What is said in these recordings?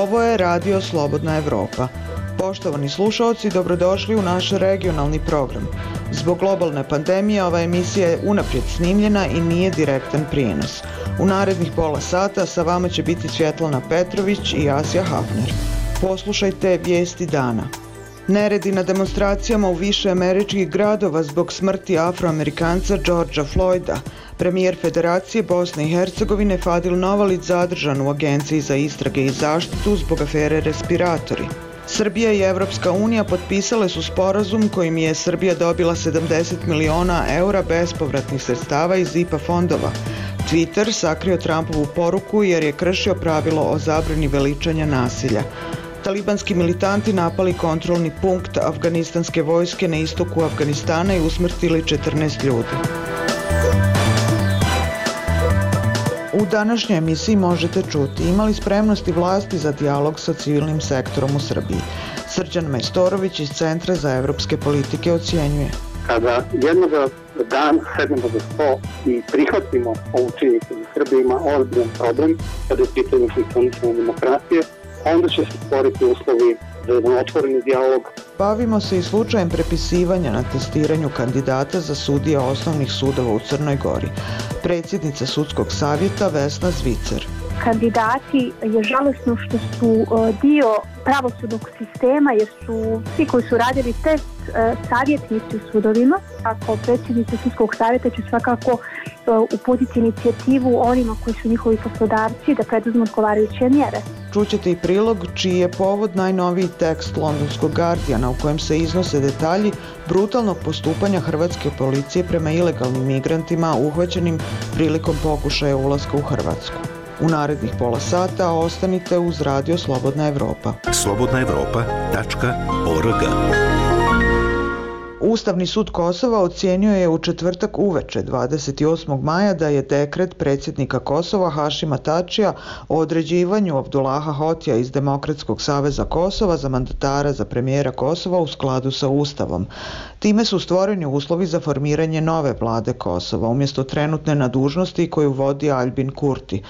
Ovo je Radio Slobodna Evropa. Poštovani slušaoci, dobrodošli u naš regionalni program. Zbog globalne pandemije ova emisija je unaprijed snimljena i nije direktan prijenos. U narednih pola sata sa vama će biti Svjetlana Petrović i Asja Hafner. Poslušajte vijesti dana. Neredi na demonstracijama u više američkih gradova zbog smrti Afroamerikanca Georgea Floyda. Premijer Federacije Bosne i Hercegovine Fadil Novalić zadržan u Agenciji za istrage i zaštitu zbog afere respiratori. Srbija i Evropska unija potpisale su sporazum kojim je Srbija dobila 70 miliona eura bespovratnih sredstava iz IPA fondova. Twitter sakrio Trumpovu poruku jer je kršio pravilo o zabrani veličanja nasilja. Talibanski militanti napali kontrolni punkt afganistanske vojske na istoku Afganistana i usmrtili 14 ljudi. U današnjoj emisiji možete čuti imali spremnosti vlasti za dijalog sa civilnim sektorom u Srbiji. Srđan Majstorović iz Centra za evropske politike ocjenjuje. Kada jednog dana sednemo za sto i prihvatimo ovu činjenicu da Srbija ima ozbiljan problem kada je pitanje funkcionisanja demokratije, onda će se stvoriti uslovi za jedan otvoreni dijalog. Bavimo se i slučajem prepisivanja na testiranju kandidata za sudije osnovnih sudova u Crnoj Gori. Predsjednica sudskog savjeta Vesna Zvicer. Kandidati je žalosno što su dio pravosudnog sistema jer su svi koji su radili test savjetnici u sudovima. Ako predsjednica sudskog savjeta će svakako uputiti inicijativu onima koji su njihovi poslodavci da preduzmu odgovarajuće mjere. Čućete i prilog čiji je povod najnoviji tekst londonskog Guardiana u kojem se iznose detalji brutalnog postupanja hrvatske policije prema ilegalnim migrantima uhvaćenim prilikom pokušaja ulaska u Hrvatsku. U narednih pola sata ostanite uz Radio Slobodna Evropa. slobodnaevropa.org. Ustavni sud Kosova ocijenio je u četvrtak uveče 28. maja da je dekret predsjednika Kosova Hašima Tačija o određivanju Abdullaha Hotija iz Demokratskog saveza Kosova za mandatara za premijera Kosova u skladu sa Ustavom. Time su stvoreni uslovi za formiranje nove vlade Kosova umjesto trenutne na dužnosti koju vodi Aljbin Kurti.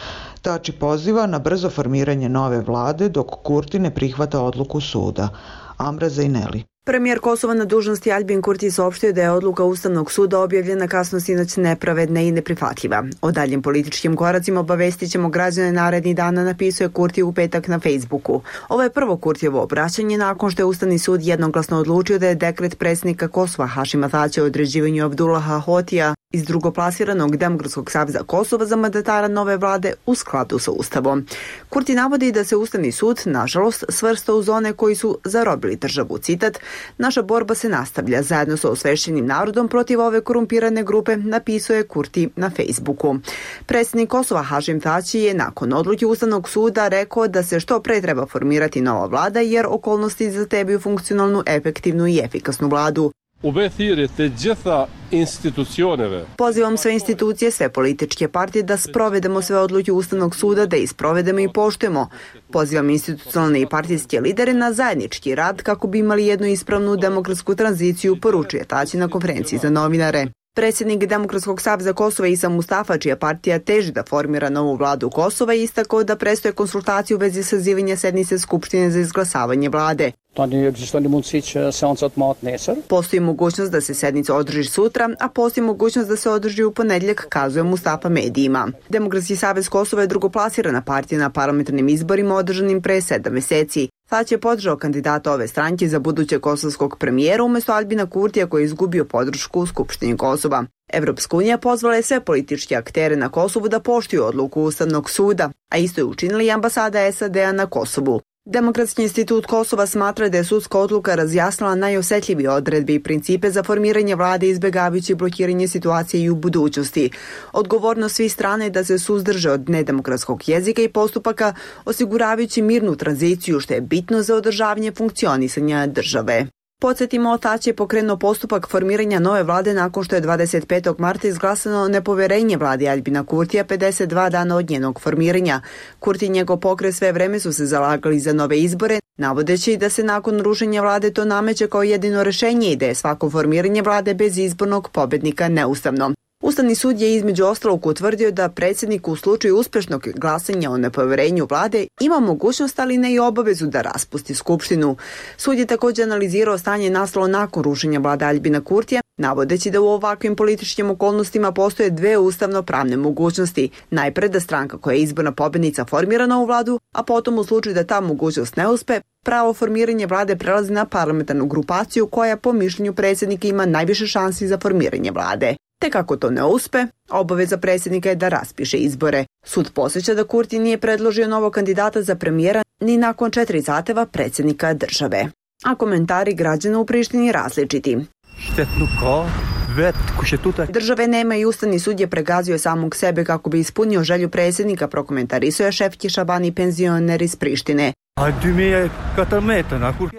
Tači poziva na brzo formiranje nove vlade dok Kurti ne prihvata odluku suda. Amra Zejneli. Premijer Kosova na dužnosti Aljbin Kurti saopštio da je odluka Ustavnog suda objavljena kasno sinoć nepravedna i neprihvatljiva. O daljim političkim koracima obavestit ćemo građane narednih dana, napisuje Kurti u petak na Facebooku. Ovo je prvo Kurtijevo obraćanje nakon što je Ustavni sud jednoglasno odlučio da je dekret predsjednika Kosova Hašima Tačija o određivanju Abdullaha Hotija iz drugoplasiranog Demokratskog saveza Kosova za mandatara nove vlade u skladu sa Ustavom. Kurti navodi da se Ustavni sud, nažalost, svrstao u zone koji su zarobili državu. Citat: "Naša borba se nastavlja zajedno sa osvešćenim narodom protiv ove korumpirane grupe", napisuje Kurti na Facebooku. Predsjednik Kosova Hašim Tači je nakon odluke Ustavnog suda rekao da se što pre treba formirati nova vlada jer okolnosti zahtijevaju funkcionalnu, efektivnu i efikasnu vladu. Pozivam sve institucije, sve političke partije da sprovedemo sve odluke Ustavnog suda, da ih sprovedemo i poštujemo. Pozivam institucionalne i partijske lidere na zajednički rad kako bi imali jednu ispravnu demokratsku tranziciju, poručuje Tači na konferenciji za novinare. Predsjednik Demokratskog saveza Kosova Isa Mustafa, čija partija teži da formira novu vladu Kosova, istakao da predstoje konsultacije u vezi sazivanja sednice Skupštine za izglasavanje vlade. Postoji mogućnost da se sednica održi sutra, a postoji mogućnost da se održi u ponedjeljak, kazuje Mustafa medijima. Demokratski savez Kosova je drugoplasirana partija na parlamentarnim izborima održanim pre 7 mjeseci. Tači je podržao kandidata ove stranke za budućeg kosovskog premijera umjesto Aljbina Kurtija koji je izgubio podršku u Skupštini Kosova. Evropska unija pozvala je sve političke aktere na Kosovu da poštuju odluku Ustavnog suda, a isto je učinila i ambasada SAD-a na Kosovu. Demokratski institut Kosova smatra da je sudska odluka razjasnila najosjetljivije odredbe i principe za formiranje vlade izbjegavajući blokiranje situacije i u budućnosti. Odgovornost svih strana je da se suzdrže od nedemokratskog jezika i postupaka osiguravajući mirnu tranziciju što je bitno za održavanje funkcionisanja države. Podsjetimo, Tači je pokrenuo postupak formiranja nove vlade nakon što je 25. marta izglasano nepovjerenje vladi Aljbina Kurtija 52 dana od njenog formiranja. Kurti i njegov pokret sve vreme su se zalagali za nove izbore, navodeći da se nakon rušenja vlade to nameće kao jedino rješenje i da je svako formiranje vlade bez izbornog pobjednika neustavno. Ustavni sud je između ostalog utvrdio da predsjednik u slučaju uspješnog glasanja o nepovjerenju vlade ima mogućnost, ali ne i obavezu da raspusti skupštinu. Sud je također analizirao stanje nastalo nakon rušenja vlade Aljbina Kurtija, navodeći da u ovakvim političkim okolnostima postoje dve ustavno-pravne mogućnosti. Najpre da stranka koja je izborna pobjednica formira novu vladu, a potom u slučaju da ta mogućnost ne uspe, pravo formiranje vlade prelazi na parlamentarnu grupaciju koja po mišljenju predsjednika ima najviše šansi za formiranje vlade. Te kako to ne uspe, obaveza predsjednika je da raspiše izbore. Sud podsjeća da Kurti nije predložio novog kandidata za premijera ni nakon 4 zahtjeva predsjednika države. A komentari građana u Prištini različiti. Države nema i Ustavni sud je pregazio samog sebe kako bi ispunio želju predsjednika, prokomentarisao je Šefki Šabani, penzioner iz Prištine.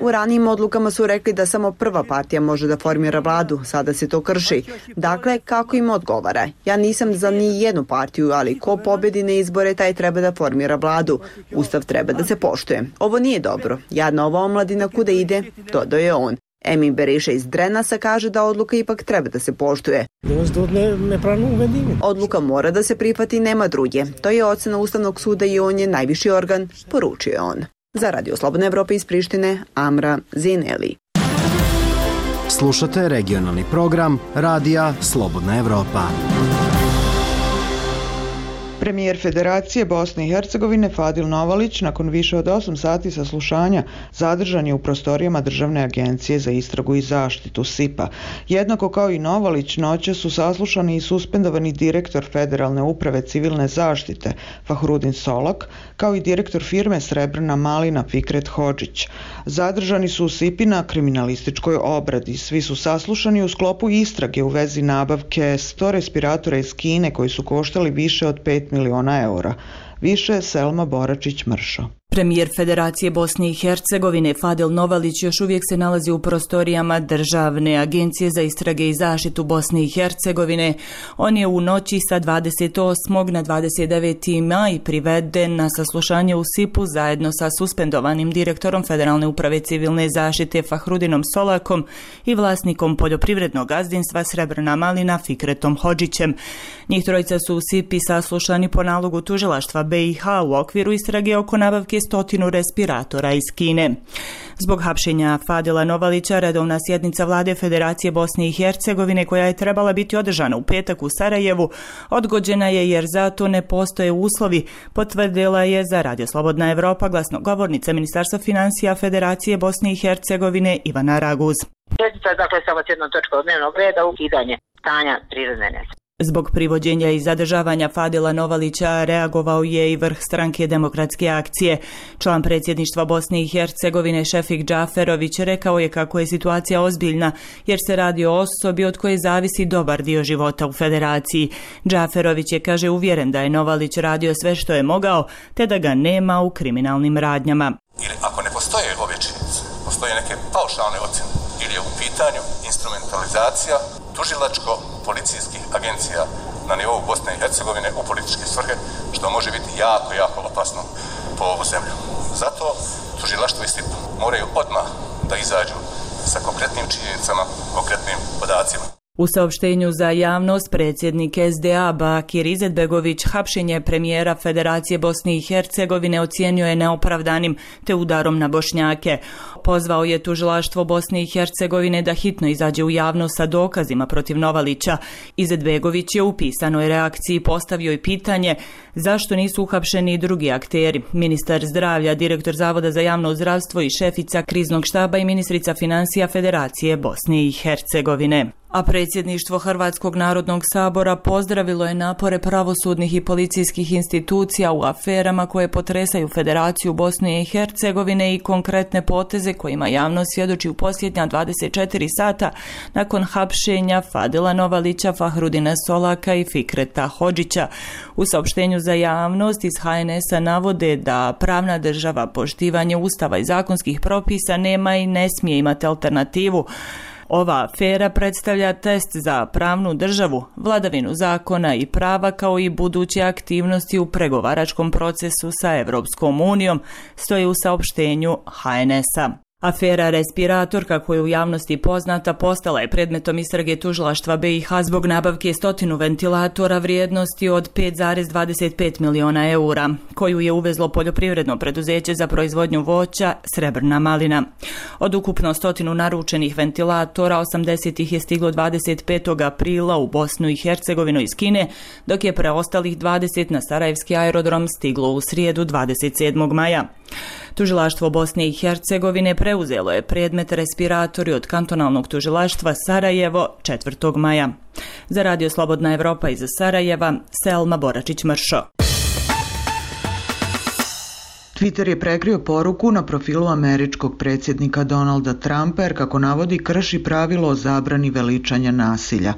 U ranijim odlukama su rekli da samo prva partija može da formira vladu, sada se to krši. Dakle, kako im odgovara? Ja nisam za ni jednu partiju, ali ko pobjedi na izbore, taj treba da formira vladu. Ustav treba da se poštuje. Ovo nije dobro. Jadna ova omladina kuda ide, dodao je on. Emin Beriša iz Drenasa kaže da odluka ipak treba da se poštuje. Odluka mora da se prihvati, nema druge. To je ocena Ustavnog suda i on je najviši organ, poručio je on. Za Radio Slobodna Evropa iz Prištine, Amra Zineli. Slušate regionalni program Radija Slobodna Evropa. Premijer Federacije Bosne i Hercegovine Fadil Novalić nakon više od 8 sati saslušanja zadržan je u prostorijama Državne agencije za istragu i zaštitu SIP-a. Jednako kao i Novalić, noće su saslušani i suspendovani direktor Federalne uprave civilne zaštite Fahrudin Solak, kao i direktor firme Srebrna malina Fikret Hodžić. Zadržani su u SIP-i na kriminalističkoj obradi. Svi su saslušani u sklopu istrage u vezi nabavke 100 respiratora iz Kine koji su koštali više od 5 miliona eura. Više Selma Boračić-Mršo. Premijer Federacije Bosne i Hercegovine Fadil Novalić još uvijek se nalazi u prostorijama Državne agencije za istrage i zaštitu Bosne i Hercegovine. On je u noći sa 28. na 29. maj priveden na saslušanje u SIP-u zajedno sa suspendovanim direktorom Federalne uprave civilne zaštite Fahrudinom Solakom i vlasnikom poljoprivrednog gazdinstva Srebrna malina Fikretom Hodžićem. Njih trojica su u SIP-i saslušani po nalogu tužilaštva BiH u okviru istrage oko nabavke 100 respiratora iz Kine. Zbog hapšenja Fadila Novalića, redovna sjednica Vlade Federacije Bosne i Hercegovine, koja je trebala biti održana u petak u Sarajevu, odgođena je jer za to ne postoje uslovi, potvrdila je za Radio Slobodna Evropa glasnogovornica Ministarstva financija Federacije Bosne i Hercegovine Ivana Raguz. Sjednica je dakle samo s jednom točkom dnevnog reda, ukidanje stanja prirodne nesreće. Zbog privođenja i zadržavanja Fadila Novalića reagovao je i vrh stranke Demokratske akcije. Član predsjedništva Bosne i Hercegovine Šefik Džaferović rekao je kako je situacija ozbiljna jer se radi o osobi od koje zavisi dobar dio života u federaciji. Džaferović je, kaže, uvjeren da je Novalić radio sve što je mogao te da ga nema u kriminalnim radnjama. Ili ako ne postoje ove činjenice, postoje neke paušalne ocjene ili je u pitanju instrumentalizacija tužilačko-policijskih agencija na nivou Bosne i Hercegovine u političke svrhe, što može biti jako opasno po ovu zemlju. Zato tužilaštvo i SIP moraju odmah da izađu sa konkretnim činjenicama, konkretnim podacima. U saopštenju za javnost predsjednik SDA Bakir Izetbegović hapšenje premijera Federacije Bosne i Hercegovine ocijenio je neopravdanim te udarom na Bošnjake. Pozvao je tužilaštvo Bosne i Hercegovine da hitno izađe u javnost sa dokazima protiv Novalića. Izetbegović je u pisanoj reakciji postavio i pitanje zašto nisu uhapšeni i drugi akteri. Ministar zdravlja, direktor Zavoda za javno zdravstvo i šefica kriznog štaba i ministrica financija Federacije Bosne i Hercegovine. A predsjedništvo Hrvatskog narodnog sabora pozdravilo je napore pravosudnih i policijskih institucija u aferama koje potresaju Federaciju Bosne i Hercegovine i konkretne poteze kojima javnost svjedoči u posljednja 24 sata nakon hapšenja Fadila Novalića, Fahrudina Solaka i Fikreta Hodžića. U saopštenju za javnost iz HNS-a navode da pravna država, poštivanje ustava i zakonskih propisa nema i ne smije imati alternativu. Ova afera predstavlja test za pravnu državu, vladavinu zakona i prava kao i buduće aktivnosti u pregovaračkom procesu sa Europskom unijom, stoji u saopštenju HNS-a. Afera respirator, kako je u javnosti poznata, postala je predmetom istrage tužilaštva BiH zbog nabavke 100 ventilatora vrijednosti od 5,25 miliona eura, koju je uvezlo poljoprivredno preduzeće za proizvodnju voća Srebrna malina. Od ukupno 100 naručenih ventilatora, 80 ih je stiglo 25. aprila u Bosnu i Hercegovinu iz Kine, dok je preostalih 20 na Sarajevski aerodrom stiglo u srijedu 27. maja. Tužilaštvo Bosne i Hercegovine preuzelo je predmet respiratori od kantonalnog tužilaštva Sarajevo 4. maja. Za Radio Slobodna Evropa iz Sarajeva, Selma Boračić-Mršo. Twitter je prekrio poruku na profilu američkog predsjednika Donalda Trumpa jer, kako navodi, krši pravilo o zabrani veličanja nasilja.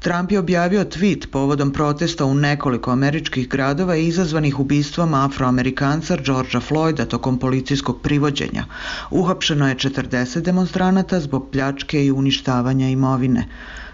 Trump je objavio tweet povodom protesta u nekoliko američkih gradova izazvanih ubistvom Afroamerikanca Georgea Floyda tokom policijskog privođenja. Uhapšeno je 40 demonstranata zbog pljačke i uništavanja imovine.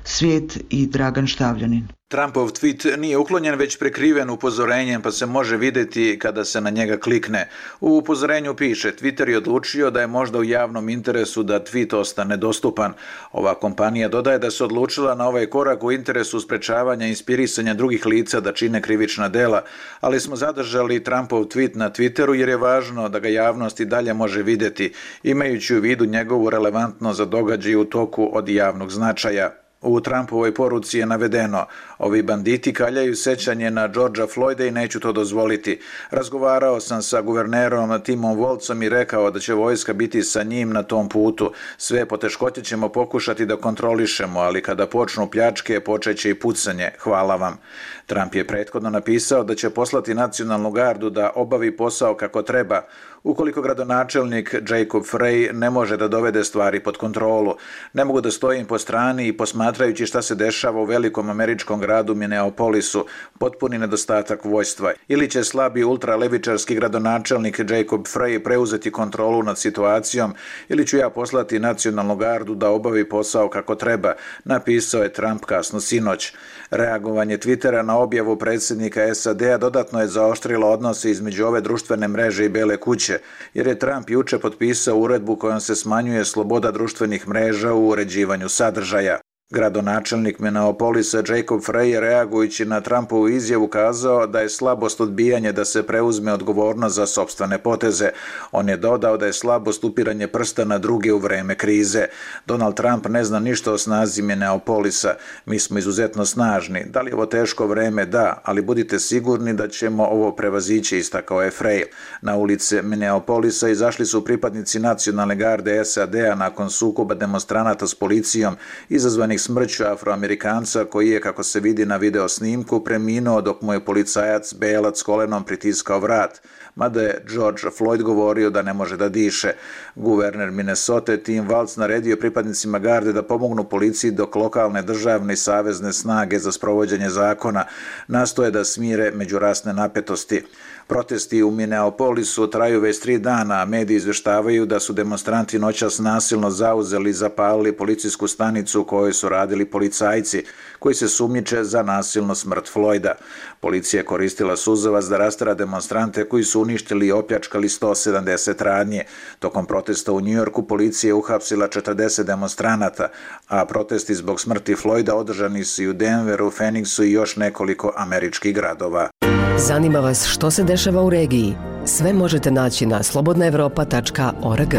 Svijet i Dragan Štavljanin. Trumpov tweet nije uklonjen, već prekriven upozorenjem, pa se može vidjeti kada se na njega klikne. U upozorenju piše: Twitter je odlučio da je možda u javnom interesu da tweet ostane dostupan. Ova kompanija dodaje da se odlučila na ovaj korak u interesu sprečavanja inspirisanja drugih lica da čine krivična dela, ali smo zadržali Trumpov tweet na Twitteru jer je važno da ga javnost i dalje može vidjeti, imajući u vidu njegovu relevantnost za događaje u toku od javnog značaja. U Trumpovoj poruci je navedeno: ovi banditi kaljaju sećanje na Georgea Floyda i neću to dozvoliti. Razgovarao sam sa guvernerom Timom Wolfsom i rekao da će vojska biti sa njim na tom putu. Sve poteškoće ćemo pokušati da kontrolišemo, ali kada počnu pljačke, počeće i pucanje. Hvala vam. Trump je prethodno napisao da će poslati nacionalnu gardu da obavi posao kako treba, ukoliko gradonačelnik Jacob Frey ne može da dovede stvari pod kontrolu. Ne mogu da stojim po strani i posmatrajući šta se dešava u velikom američkom gradu Minneapolisu, potpuni nedostatak vojstva. Ili će slabi ultralevičarski gradonačelnik Jacob Frey preuzeti kontrolu nad situacijom, ili ću ja poslati nacionalnu gardu da obavi posao kako treba, napisao je Trump kasno sinoć. Reagovanje Twittera na objavu predsjednika SAD-a dodatno je zaoštrilo odnose između ove društvene mreže i Bele kuće, jer je Trump juče potpisao uredbu kojom se smanjuje sloboda društvenih mreža u uređivanju sadržaja. Gradonačelnik Minneapolisa Jacob Frey je, reagujući na Trumpovu izjavu, kazao da je slabost odbijanje da se preuzme odgovornost za sopstvene poteze. On je dodao da je slabost upiranje prsta na druge u vreme krize. Donald Trump ne zna ništa o snazi Minneapolisa. Mi smo izuzetno snažni. Da li je ovo teško vreme? Da, ali budite sigurni da ćemo ovo prevazići, istakao je Frey. Na ulice Minneapolisa izašli su pripadnici nacionalne garde SAD-a nakon sukoba demonstranata s policijom izazvanih smrću Afroamerikanca koji je, kako se vidi na video snimku, preminuo dok mu je policajac belac kolenom pritiskao vrat, mada je George Floyd govorio da ne može da diše. Guverner Minnesota Tim Walz naredio pripadnicima garde da pomognu policiji dok lokalne, državne i savezne snage za sprovođenje zakona nastoje da smire međurasne napetosti. Protesti u Minneapolisu traju već 3 dana, a mediji izveštavaju da su demonstranti noćas nasilno zauzeli i zapalili policijsku stanicu u kojoj su radili policajci, koji se sumnjiče za nasilnu smrt Floyda. Policija je koristila suzavac da rastera demonstrante koji su uništili i opljačkali 170 radnje. Tokom protesta u Njujorku policija je uhapsila 40 demonstranata, a protesti zbog smrti Floyda održani su i u Denveru, Phoenixu i još nekoliko američkih gradova. Zanima vas što se dešava u regiji? Sve možete naći na slobodnaevropa.org.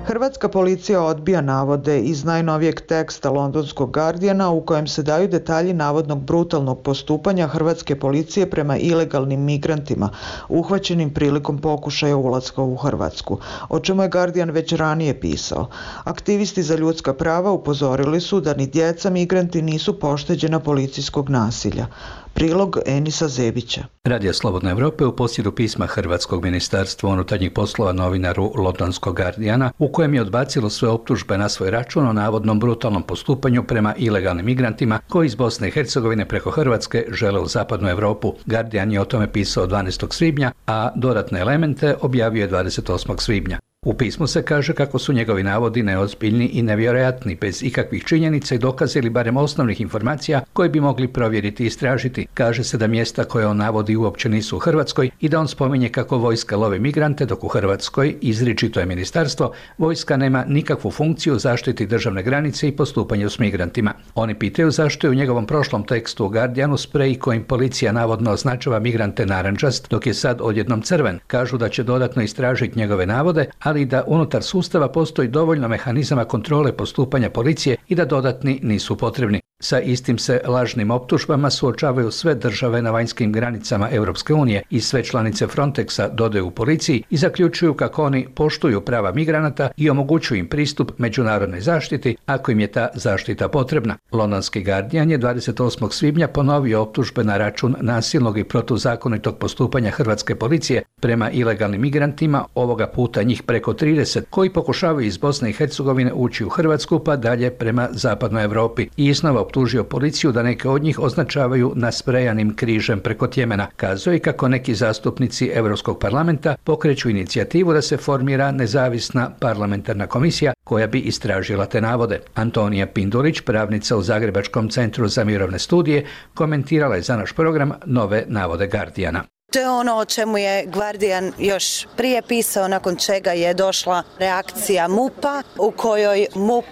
Hrvatska policija odbija navode iz najnovijeg teksta londonskog Guardiana u kojem se daju detalji navodnog brutalnog postupanja hrvatske policije prema ilegalnim migrantima uhvaćenim prilikom pokušaja ulaska u Hrvatsku, o čemu je Guardian već ranije pisao. Aktivisti za ljudska prava upozorili su da ni djeca migranti nisu pošteđena policijskog nasilja. Prilog Enisa Zebića. Radio Slobodna Evropa je u posjedu pisma Hrvatskog ministarstva unutarnjih poslova novinaru londonskog Guardiana, u kojem je odbacilo sve optužbe na svoj račun o navodnom brutalnom postupanju prema ilegalnim migrantima koji iz Bosne i Hercegovine preko Hrvatske žele u zapadnu Europu. Guardian je o tome pisao 12. svibnja, a dodatne elemente objavio je 28. svibnja. U pismu se kaže kako su njegovi navodi neozbiljni i nevjerojatni, bez ikakvih činjenica i dokaza ili barem osnovnih informacija koje bi mogli provjeriti i istražiti. Kaže se da mjesta koje on navodi uopće nisu u Hrvatskoj i da on spominje kako vojska lovi migrante, dok u Hrvatskoj, izričito je ministarstvo, vojska nema nikakvu funkciju zaštiti državne granice i postupanju s migrantima. Oni pitaju zašto je u njegovom prošlom tekstu u Guardianu sprej kojim policija navodno označava migrante narančast, dok je sad odjednom crven. Kažu da će dodatno istražiti njegove navode, ali da unutar sustava postoji dovoljno mehanizama kontrole postupanja policije i da dodatni nisu potrebni. Sa istim se lažnim optužbama suočavaju sve države na vanjskim granicama Europske unije i sve članice Frontexa, dodaju u policiji, i zaključuju kako oni poštuju prava migranata i omogućuju im pristup međunarodnoj zaštiti ako im je ta zaštita potrebna. Londonski Guardian je 28. svibnja ponovio optužbe na račun nasilnog i protuzakonitog postupanja hrvatske policije prema ilegalnim migrantima, ovoga puta njih preko 30, koji pokušavaju iz Bosne i Hercegovine ući u Hrvatsku pa dalje prema zapadnoj Europi, i iznova optužio policiju da neke od njih označavaju nasprejanim križem preko Tjemena. Kazuje kako neki zastupnici Europskog parlamenta pokreću inicijativu da se formira nezavisna parlamentarna komisija koja bi istražila te navode. Antonija Pindulić, pravnica u Zagrebačkom centru za mirovne studije, komentirala je za naš program nove navode Guardiana. To je ono o čemu je Guardian još prije pisao, nakon čega je došla reakcija MUP-a, u kojoj MUP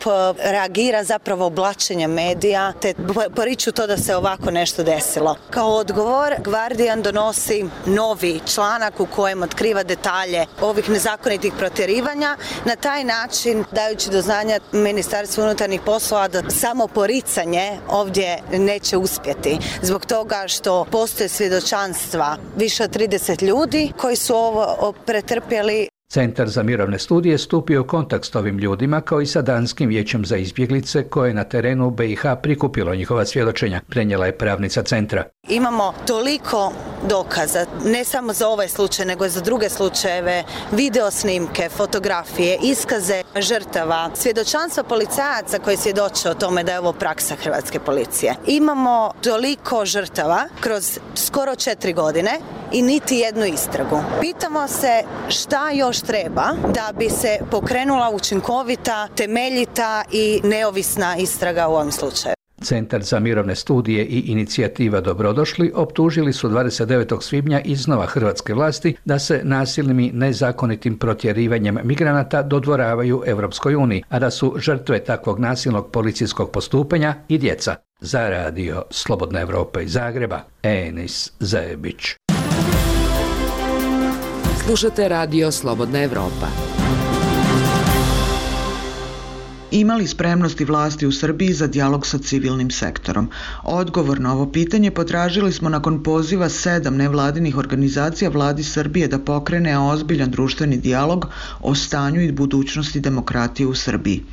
reagira zapravo oblačenjem medija, te poriču to da se ovako nešto desilo. Kao odgovor, Guardian donosi novi članak u kojem otkriva detalje ovih nezakonitih protjerivanja, na taj način dajući do znanja Ministarstvu unutarnjih poslova da samo poricanje ovdje neće uspjeti, zbog toga što postoje svjedočanstva više od 30 ljudi koji su ovo pretrpjeli. Centar za mirovne studije stupio u kontakt s ovim ljudima kao i sa Danskim vijećem za izbjeglice koje je na terenu u BiH prikupilo njihova svjedočenja, prenijela je pravnica centra. Imamo toliko dokaza, ne samo za ovaj slučaj, nego i za druge slučajeve, video snimke, fotografije, iskaze žrtava, svjedočanstva policajaca koji svjedoče o tome da je ovo praksa hrvatske policije. Imamo toliko žrtava kroz skoro 4 godine i niti jednu istragu. Pitamo se šta još treba da bi se pokrenula učinkovita, temeljita i neovisna istraga u ovom slučaju. Centar za mirovne studije i inicijativa Dobrodošli optužili su 29. svibnja iznova hrvatske vlasti da se nasilnim i nezakonitim protjerivanjem migranata dodvoravaju Europskoj uniji, a da su žrtve takvog nasilnog policijskog postupanja i djeca. Za radio Slobodna Evropa iz Zagreba, Enis Zajebić. Slušate radio Slobodna Evropa. Imali spremnosti vlasti u Srbiji za dijalog sa civilnim sektorom? Odgovor na ovo pitanje potražili smo nakon poziva 7 nevladinih organizacija vladi Srbije da pokrene ozbiljan društveni dijalog o stanju i budućnosti demokratije u Srbiji.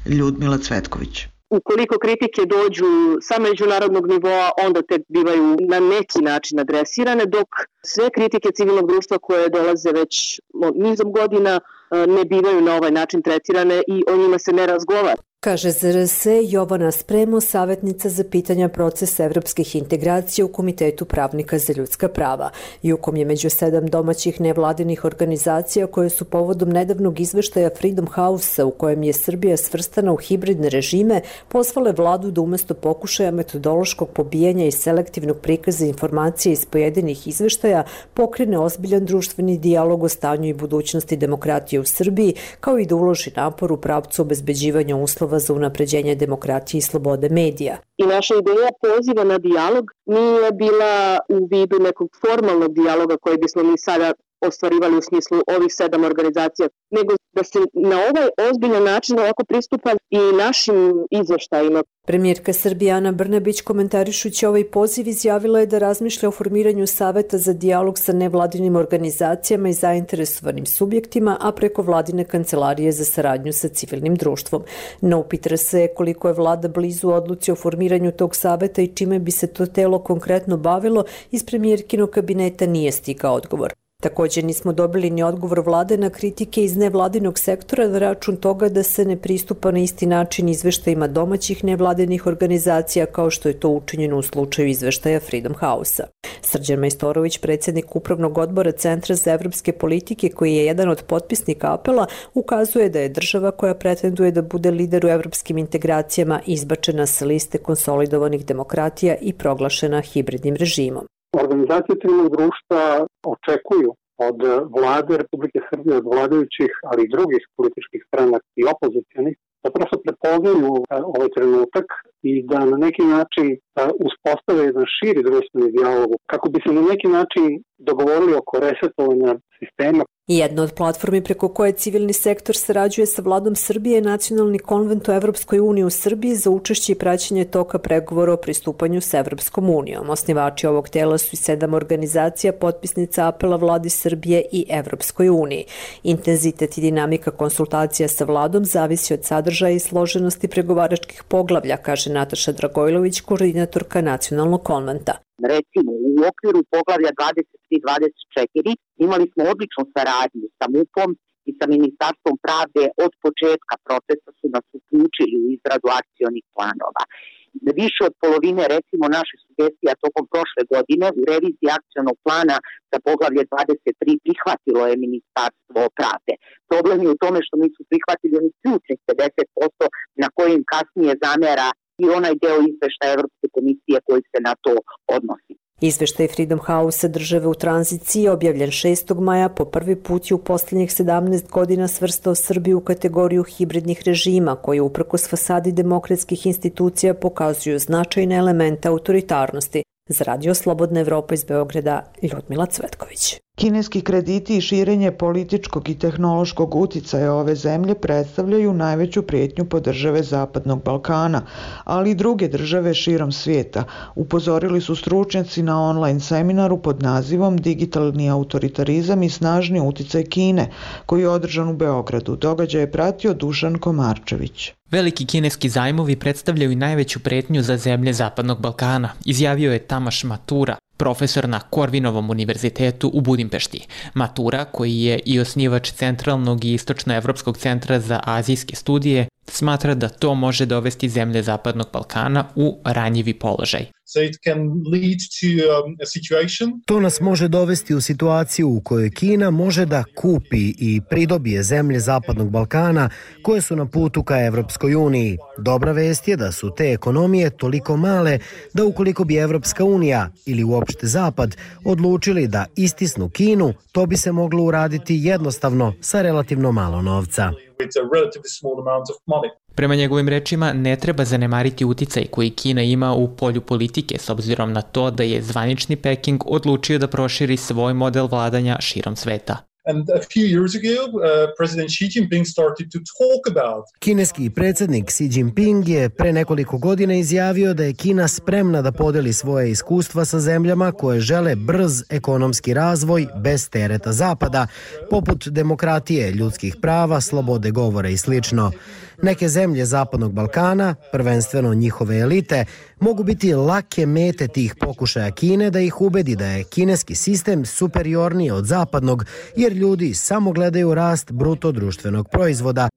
Ljudmila Cvetković. Ukoliko kritike dođu sa međunarodnog nivoa, onda te bivaju na neki način adresirane, dok sve kritike civilnog društva koje dolaze već nizom godina ne bivaju na ovaj način tretirane i o njima se ne razgovara. Kaže ZRS Jovana Spremo, savjetnica za pitanja procesa evropskih integracija u Komitetu pravnika za ljudska prava. Jukom je među 7 domaćih nevladinih organizacija koje su povodom nedavnog izveštaja Freedom House-a u kojem je Srbija svrstana u hibridne režime, pozvale vladu da umjesto pokušaja metodološkog pobijanja i selektivnog prikaza informacija iz pojedinih izveštaja pokrene ozbiljan društveni dijalog o stanju i budućnosti demokratije u Srbiji, kao i da uloži napor u pravcu obezbeđivanja uslova za unapređenje demokratije i slobode medija. I naša ideja poziva na dijalog nije bila u vidu nekog formalnog dijaloga koji bismo mi sada ostvarivali u smislu ovih 7 organizacija, nego da se na ovaj ozbiljan način ovako pristupa i našim izveštajima. Premijerka Srbije Ana Brnabić, komentarišući ovaj poziv, izjavila je da razmišlja o formiranju saveta za dijalog sa nevladinim organizacijama i zainteresovanim subjektima, a preko vladine kancelarije za saradnju sa civilnim društvom. No upitra se koliko je vlada blizu odluci o formiranju tog saveta i čime bi se to telo konkretno bavilo, iz premijerkinog kabineta nije stigao odgovor. Također nismo dobili ni odgovor vlade na kritike iz nevladinog sektora na račun toga da se ne pristupa na isti način izveštajima domaćih nevladinih organizacija kao što je to učinjeno u slučaju izveštaja Freedom House-a. Srđan Majstorović, predsjednik Upravnog odbora Centra za evropske politike, koji je jedan od potpisnika apela, ukazuje da je država koja pretenduje da bude lider u evropskim integracijama izbačena sa liste konsolidovanih demokratija i proglašena hibridnim režimom. Organizacije civilnog društva očekuju od vlade Republike Srbije, od vladajućih, ali i drugih političkih stranaka i opozicionih, da prosto prepoznaju ovaj trenutak i da na neki način uspostave jedan širi društveni dijalog, kako bi se na neki način dogovorili oko resetovanja sistema. Jedna od platformi preko koje civilni sektor sarađuje sa vladom Srbije je Nacionalni konvent o Evropskoj uniji u Srbiji za učešće i praćenje toka pregovora o pristupanju s Evropskom unijom. Osnivači ovog tela su i 7 organizacija potpisnica apela vladi Srbije i Evropskoj uniji. Intenzitet i dinamika konsultacija sa vladom zavisi od sadržaja i složenosti pregovaračkih poglavlja, kaže Nataša Dragojlović, koordinatorka Nacionalnog konventa. Recimo, u okviru poglavlja 23-24 imali smo odličnu saradnju sa MUP-om i sa Ministarstvom pravde. Od početka procesa su nas uključili u izradu akcionih planova. Više od polovine, recimo, naših sugestija tokom prošle godine u reviziji akcionog plana za poglavlje 23 prihvatilo je Ministarstvo pravde. Problem je u tome što nisu prihvatili onih ključnih 50% na kojim kasnije zamera i onaj deo izveštaja Evropske komisije koji se na to odnosi. Izveštaj Freedom House države u tranziciji, objavljen 6. maja, po prvi put je u posljednjih 17 godina svrstao Srbiju u kategoriju hibridnih režima, koji uprkos fasadi demokratskih institucija pokazuju značajne elemente autoritarnosti. Za Radio Slobodna Evropa iz Beograda, Ljudmila Cvetković. Kineski krediti i širenje političkog i tehnološkog uticaja ove zemlje predstavljaju najveću prijetnju po države Zapadnog Balkana, ali i druge države širom svijeta, upozorili su stručnjaci na online seminaru pod nazivom Digitalni autoritarizam i snažni uticaj Kine, koji je održan u Beogradu. Događaj je pratio Dušan Komarčević. Veliki kineski zajmovi predstavljaju najveću pretnju za zemlje Zapadnog Balkana, izjavio je Tamaš Matura, profesor na Korvinovom univerzitetu u Budimpešti. Matura, koji je i osnivač Centralnog i Istočnoevropskog centra za azijske studije, smatra da to može dovesti zemlje Zapadnog Balkana u ranjivi položaj. To nas može dovesti u situaciju u kojoj Kina može da kupi i pridobije zemlje Zapadnog Balkana koje su na putu ka Evropskoj uniji. Dobra vest je da su te ekonomije toliko male da ukoliko bi Evropska unija ili uopšte Zapad odlučili da istisnu Kinu, to bi se moglo uraditi jednostavno sa relativno malo novca. Prema njegovim rečima, ne treba zanemariti uticaj koji Kina ima u polju politike, s obzirom na to da je zvanični Peking odlučio da proširi svoj model vladanja širom sveta. Kineski predsjednik Xi Jinping je pre nekoliko godina izjavio da je Kina spremna da podeli svoje iskustva sa zemljama koje žele brz ekonomski razvoj bez tereta Zapada, poput demokratije, ljudskih prava, slobode govora i slično. Neke zemlje Zapadnog Balkana, prvenstveno njihove elite, mogu biti lake mete tih pokušaja Kine da ih ubedi da je kineski sistem superiorniji od zapadnog, jer ljudi samo gledaju rast bruto društvenog proizvoda.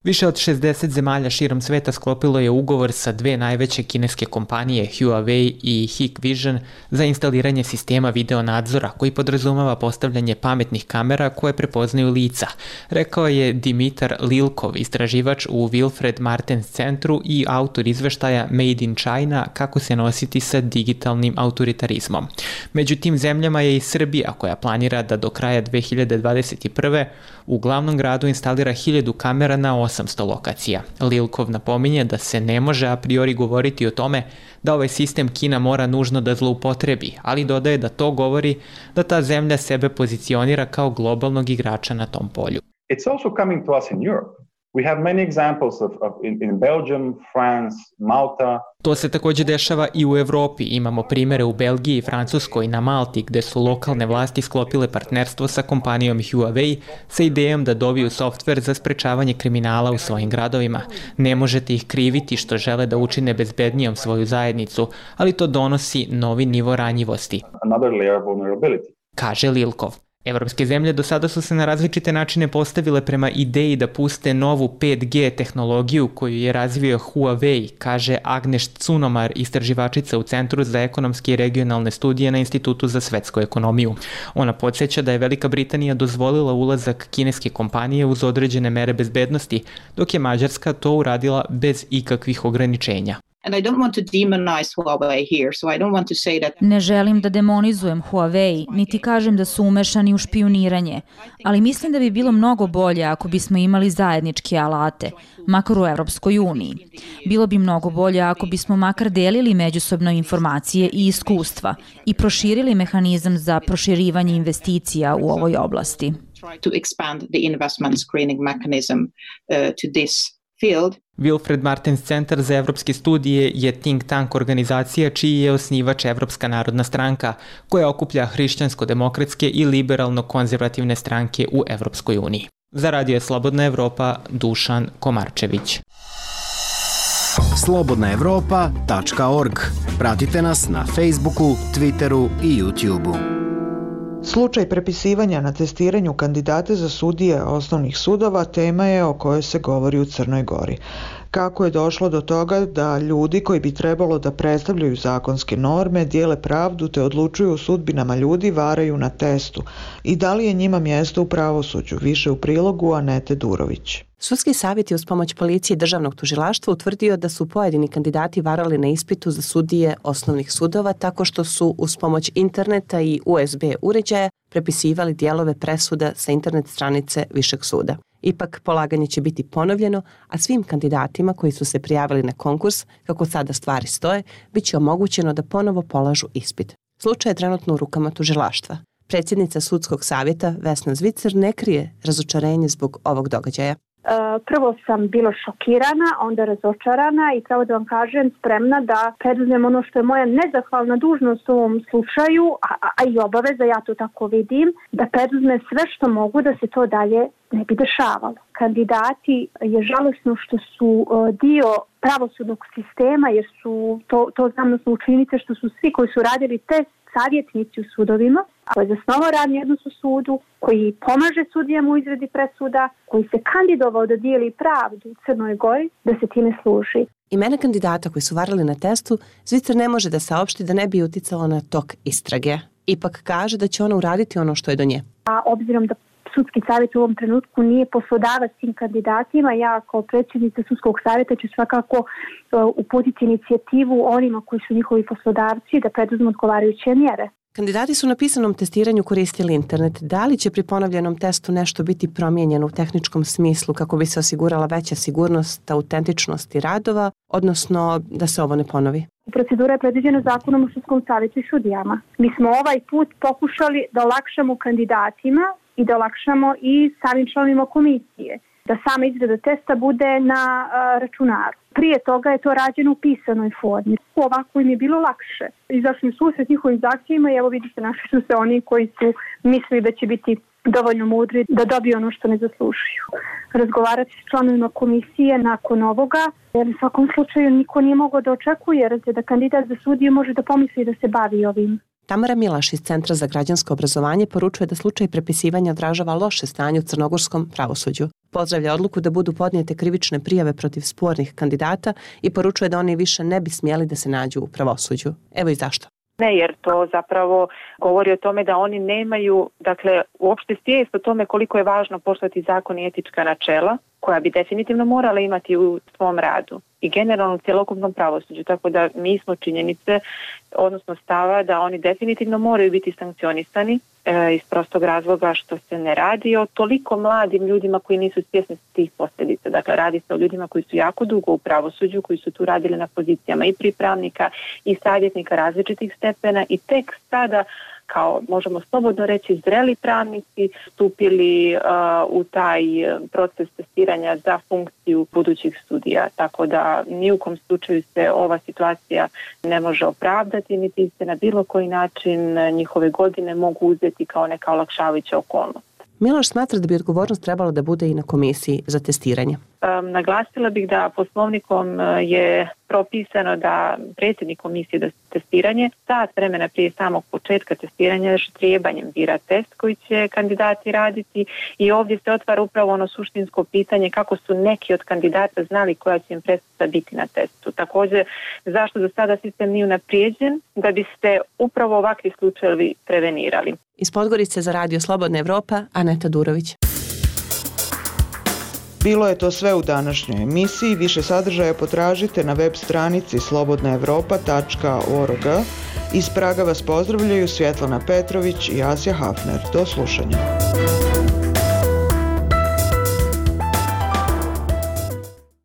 Više od 60 zemalja širom sveta sklopilo je ugovor sa 2 najveće kineske kompanije, Huawei i Hikvision, za instaliranje sistema video nadzora koji podrazumeva postavljanje pametnih kamera koje prepoznaju lica, rekao je Dimitar Lilkov, istraživač u Wilfred Martens centru i autor izveštaja Made in China, kako se nositi sa digitalnim autoritarizmom. Među tim zemljama je i Srbija, koja planira da do kraja 2021. u glavnom gradu instalira 1000 kamera na 800 lokacija. Lilkov napominje da se ne može a priori govoriti o tome da ovaj sistem Kina mora nužno da zloupotrebi, ali dodaje da to govori da ta zemlja sebe pozicionira kao globalnog igrača na tom polju. It's also coming to us in Europe. We have many examples in Belgium, France, Malta. To se također dešava i u Evropi. Imamo primere u Belgiji, Francuskoj i na Malti, gde su lokalne vlasti sklopile partnerstvo sa kompanijom Huawei sa idejom da dobiju softver za sprečavanje kriminala u svojim gradovima. Ne možete ih kriviti što žele da učine bezbednijom svoju zajednicu, ali to donosi novi nivo ranjivosti. Another layer of vulnerability. kaže Lilkov. Evropske zemlje do sada su se na različite načine postavile prema ideji da puste novu 5G tehnologiju koju je razvio Huawei, kaže Agneš Cunomar, istraživačica u Centru za ekonomske i regionalne studije na Institutu za svetsku ekonomiju. Ona podsjeća da je Velika Britanija dozvolila ulazak kineske kompanije uz određene mere bezbednosti, dok je Mađarska to uradila bez ikakvih ograničenja. Ne želim da demonizujem Huawei, niti kažem da su umešani u špijuniranje, ali mislim da bi bilo mnogo bolje ako bismo imali zajedničke alate, makar u Evropskoj uniji. Bilo bi mnogo bolje ako bismo makar delili međusobno informacije i iskustva i proširili mehanizam za proširivanje investicija u ovoj oblasti. Wilfred Martens Centar za evropske studije je think tank organizacija čiji je osnivač Evropska narodna stranka, koja okuplja hrišćansko-demokratske i liberalno-konzervativne stranke u Evropskoj uniji. Za Radio Slobodna Evropa, Dušan Komarčević. slobodnaevropa.org. Pratite nas na Facebooku, Twitteru i YouTubeu. Slučaj prepisivanja na testiranju kandidata za sudije osnovnih sudova tema je o kojoj se govori u Crnoj Gori. Kako je došlo do toga da ljudi koji bi trebalo da predstavljaju zakonske norme, dijele pravdu te odlučuju o sudbinama ljudi varaju na testu i da li je njima mjesto u pravosuđu, više u prilogu Anete Durović. Sudski savjet je uz pomoć policije i državnog tužilaštva utvrdio da su pojedini kandidati varali na ispitu za sudije osnovnih sudova tako što su uz pomoć interneta i USB uređaja prepisivali dijelove presuda sa internet stranice Višeg suda. Ipak, polaganje će biti ponovljeno, a svim kandidatima koji su se prijavili na konkurs, kako sada stvari stoje, bit će omogućeno da ponovo polažu ispit. Slučaj je trenutno u rukama tužilaštva. Predsjednica Sudskog savjeta Vesna Zvicer ne krije razočarenje zbog ovog događaja. Prvo sam bila šokirana, onda razočarana i pravo da vam kažem spremna da preduzmem ono što je moja nezahvalna dužnost u ovom slučaju, a i obaveza, ja to tako vidim, da preduzmem sve što mogu da se to dalje ne bi dešavalo. Kandidati je žalosno što su dio pravosudnog sistema, jer su, to znam na osnovu činjenice što su svi koji su radili test savjetnici u sudovima, koji je zasnovao radni odnos u sudu, koji pomaže sudijama u izradi presuda, koji se kandidovao da dijeli pravdu u Crnoj Gori, da se time služi. Imena kandidata koji su varali na testu, Zvicer ne može da saopšti da ne bi uticalo na tok istrage. Ipak kaže da će ona uraditi ono što je do nje. A obzirom da Sudski savjet u ovom trenutku nije poslodavac tim kandidatima, ja kao predsjednica Sudskog savjeta ću svakako uputiti inicijativu onima koji su njihovi poslodavci da preduzmu odgovarajuće mjere. Kandidati su na pisanom testiranju koristili internet. Da li će pri ponovljenom testu nešto biti promijenjeno u tehničkom smislu kako bi se osigurala veća sigurnost, autentičnost radova, odnosno da se ovo ne ponovi? Procedura je predviđena Zakonom o Sudskom savjetu i sudijama. Mi smo ovaj put pokušali da olakšamo kandidatima i da olakšamo i samim članovima komisije, da sama izrada testa bude na računaru. Prije toga je to rađeno u pisanoj formi. Ovako im je bilo lakše. Izašli su susret njihovim zahtjevima i evo vidite, našli su se oni koji su mislili da će biti dovoljno mudri da dobiju ono što ne zaslužuju. Razgovarati s članovima komisije nakon ovoga, jer u svakom slučaju niko nije mogao da očekuje da kandidat za sudiju može da pomisli da se bavi ovim. Tamara Milaš iz Centra za građansko obrazovanje poručuje da slučaj prepisivanja odražava loše stanje u crnogorskom pravosuđu. Pozdravlja odluku da budu podnijete krivične prijave protiv spornih kandidata i poručuje da oni više ne bi smjeli da se nađu u pravosuđu. Evo i zašto. Ne, jer to zapravo govori o tome da oni nemaju, dakle, uopšte svijest o tome koliko je važno poštovati zakon i etička načela, koja bi definitivno morala imati u svom radu i generalno u cjelokupnom pravosuđu. Tako da mi smo činjenice, odnosno stava da oni definitivno moraju biti sankcionisani iz prostog razloga što se ne radi o toliko mladim ljudima koji nisu svjesni tih posljedica. Dakle, radi se o ljudima koji su jako dugo u pravosuđu, koji su tu radili na pozicijama i pripravnika i savjetnika različitih stepena i tek sada, kao možemo slobodno reći, zreli pravnici stupili u taj proces testiranja za funkciju budućih sudija. Tako da ni u kom slučaju se ova situacija ne može opravdati, niti se na bilo koji način njihove godine mogu uzeti kao neka olakšavajuća okolnost. Miloš smatra da bi odgovornost trebala da bude i na komisiji za testiranje. Naglasila bih da poslovnikom je propisano da predsjednik komisije za testiranje sat vremena prije samog početka testiranja ždrijebanjem bira test koji će kandidati raditi i ovdje se otvara upravo ono suštinsko pitanje kako su neki od kandidata znali koja će im presuda biti na testu. Također, zašto do sada sistem nije unaprijeđen, da bi se upravo ovakvi slučajevi prevenirali. Iz Podgorice za Radio Slobodna Evropa, Aneta Durović. Bilo je to sve u današnjoj emisiji. Više sadržaja potražite na web stranici slobodnaevropa.org. Iz Praga vas pozdravljaju Svjetlana Petrović i Asja Hafner. Do slušanja.